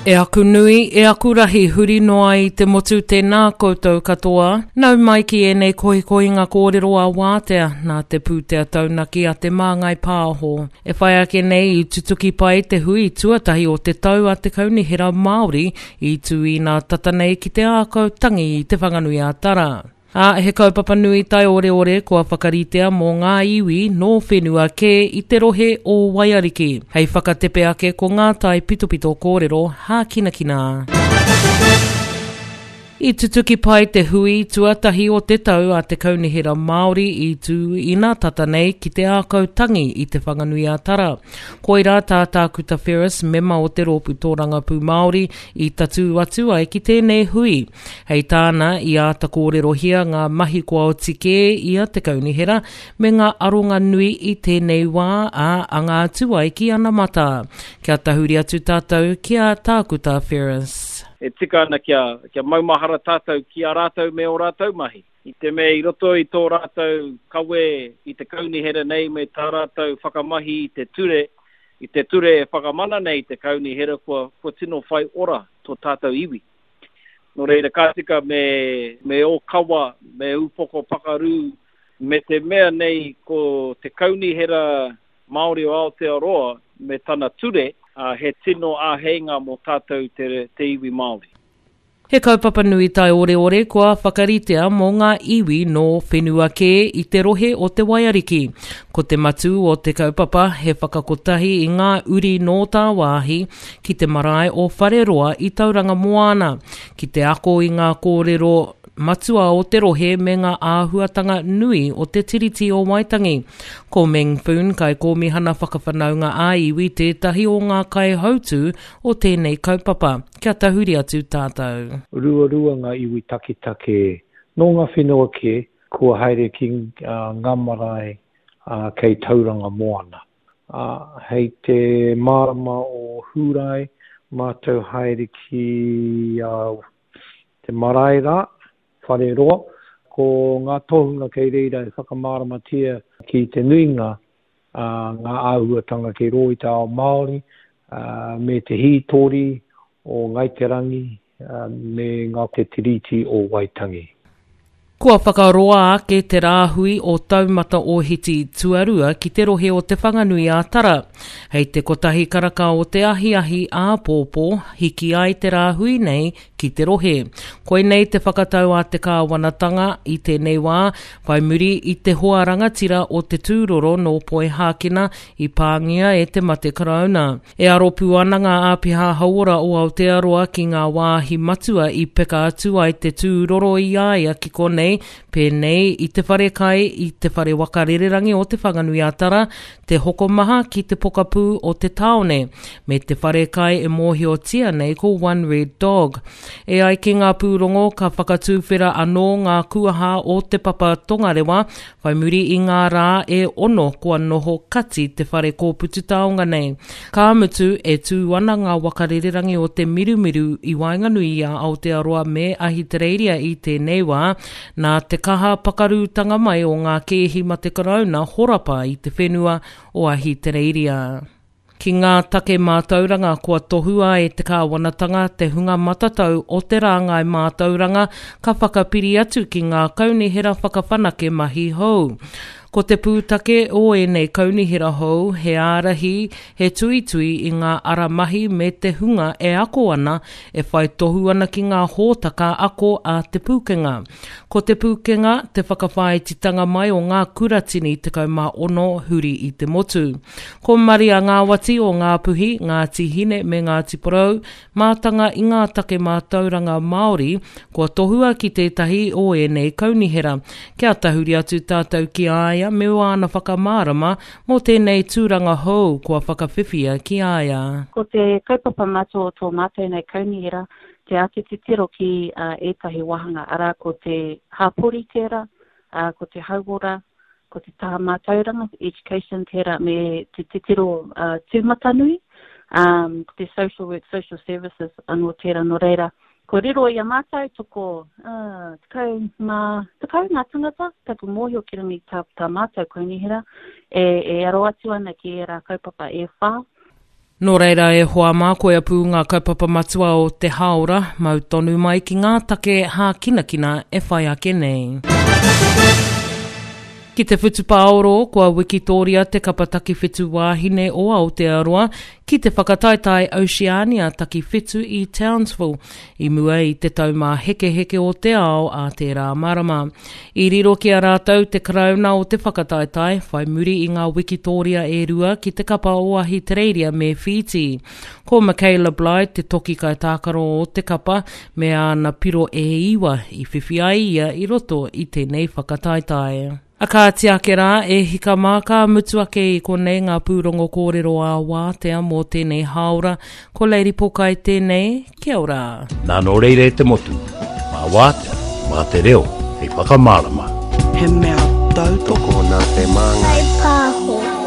E aku nui, e aku rahi huri noa i te motu tēnā koutou katoa. Nau mai ki ēnei kohikohinga kōrero a Wātea nā te pūtea taunaki a Te Māngai Pāho. E whai ake nei i tutuki pai te hui tuatahi o te tau a te Kaunihera Māori i tū inā tata nei ki te ākau tangi i Te Whanganui-a-Tara. Ā, he kaupapa nui taioreore kua whakaritea mō ngā iwi nō whenua kē i te rohe o Waiariki. Hei whakatepe ake ko ngā taipitopito kōrero hākinakina. I tutuki pai te hui tuatahi o te tau a te Kaunihera Māori i tū inā tata nei ki te ākau tangi i Te Whanganui-a-Tara. Koirā tā Tākuta Ferris, mema o te Rōpū Tōrangapū Māori, i tatū atu ai ki tēnei hui. Hei tāna, i āta kōrerohia ngā mahi kua oti kē i a te Kaunihera me ngā aronga nui i tēnei wā, ā, anga atu ai ki anamata. Kia tahuri atu tātou ki a Tākuta Ferris. E tika ana kia, kia maumahara tātou ki a rātou me ō rātou mahi. I te mea i roto i tō rātou kawe i te kaunihera nei me tā rātou whakamahi i te ture, i te ture e whakamana nei i te kaunihera kua, kua tino whai ora tō tātou iwi. Nō reira, ka tika me, me ōkawa, me ūpoko pakarū, me te mea nei ko te Kaunihera Māori o Aotearoa me tana ture, ā, he tino āheinga mō tātou te, te iwi Māori. He kaupapa nui taioreore kua whakaritea mō ngā iwi nō whenua kē i te rohe o Te Waiariki. Ko te matū o te kaupapa he whakakotahi i ngā uri nō tāwāhi ki te marae o Whareroa i Tauranga Moana, ki te ako i ngā kōrero matua o te rohe me ngā āhuatanga nui o te Tiriti o Waitangi. Ko Meng Foon, Kaikōmihana Whakawhanaunga ā-Iwi tētahi o ngā kaihautū o tēnei kaupapa. Kia tahuri atu tātou. Ruarua ngā iwi taketake nō ngā whenua kē kua haere ki ngā marae kei Tauranga Moana. Ā, hei te marama o Hūrae mātou haere ki te marae rā, Whareroa. Ko ngā tohunga kei reira e whakamāramatia ki te nuinga ngā āhuatanga kei rō i te ao Māori, me te hītori o Ngāi Te Rangi me ngā Te Tiriti o Waitangi. Kua whakaroa ake te rāhui o Taumata Ōhiti Tuarua ki te rohe o Te Whanganui-a-Tara. Hei te kotahi karaka o te ahiahi āpōpō, hiki ai te rāhui nei ki te rohe. Koinei te whakatau a te kāwanatanga i tēnei wā, whai muri i te hoa rangatira o te tūroro nō Poihākena i pāngia e te mate karauna. E aro pū ana ngā āpiha hauora o Aotearoa ki ngā wāhi matua i peka atu ai te tūroro i a ia ki konei, pēnei i te whare kai, i te whare waka rererangi o Te Whanganui-a-Tara, te hokomaha ki te pokapū o te tāone, me te whare kai e mōhiotia nei ko One Red Dog. E ai ki ngā pūrongo, ka whakatuwhera anō ngā kuaha o Te Papa Tongarewa Whai muri i ngā rā e ono kua noho kati te whare kōputu taonga nei. Ka mutu, e tū ana ngā waka rererangi o te mirumiru i waenganui i a Aotearoa me Ahitereiria i tēnei wā, nā te kaha pakarūtanga mai o ngā kēhi mate karauna horapa i te whenua o Ahitereiria. Ki ngā take mātauranga kua tohua e te kāwanatanga te hunga matatau o te rāngai mātauranga ka whakapiri atu ki ngā kaunihera whakawhanake mahi hou. Ko te pūtake o ēnei kaunihera hou he ārahi, he tuitui i ngā ara mahi me te hunga e ako ana, e whai tohu ana ki ngā hōtaka ako a Te Pūkenga. Ko Te Pūkenga te whakawhāititanga mai o ngā kuratini 16 huri i te motu. Ko Maria Ngāwati o Ngāpuhi, Ngāti Hine me Ngāti Porou, mātanga i ngā take mātauranga Māori, kua tohua ki tētahi o ēnei kaunihera. Kia tahuri atu tātou ki a ia me wāna whakamārama mō tēnei tūranga hou kua whakawhiwhia ki a ia. Ko te kaupapa matua o tō mātou nei kaunihera, te āta titiro ki ētahi wāhanga, arā, ko te hapori tērā, ko te hauora, ko te taha mātauranga, te education tērā, me te titiro tūmatanui, ko te social work, social services anō tērā. Nō reira, kua riro i a mātou toko 10 ngā tangata, taku mōhio ki runga i tā, tā mātou kaunihera, e, e aro atu ana ki ērā kaupapa e whā. Nō reira e hoa mā, koia pū ngā kaupapa matua o te hāora, mau tonu mai ki ngā take hākinakina e whai ake nei. Ki te whutupaoro, kua wikitōria te kapa takiwhitu wāhine o Aotearoa ki te whakataetae Oceania takiwhitu i Townsville i mua i te Taumāhekeheke o te Ao ā tērā marama. I riro ki a rātou te karauna o te whakataetae, whai muri i ngā wikitōria e rua ki te kapa o Ahitereiria me Whītī. Ko Michaela Blyde te toki kaitākaro o te kapa me āna piro e iwa i whiwhi ai ia i roto i tēnei whakataetae. A kāti ake rā, e hika mā, ka mutu ake i konei ngā pūrongo kōrero ā-wātea mō tēnei hāora. Ko Lady Pokai tēnei, kia ora. Nā nō reira e te motu, mā wātea, mā te reo hei whakamārama. He mea tautoko. Tokona te māngai. Whai pāho.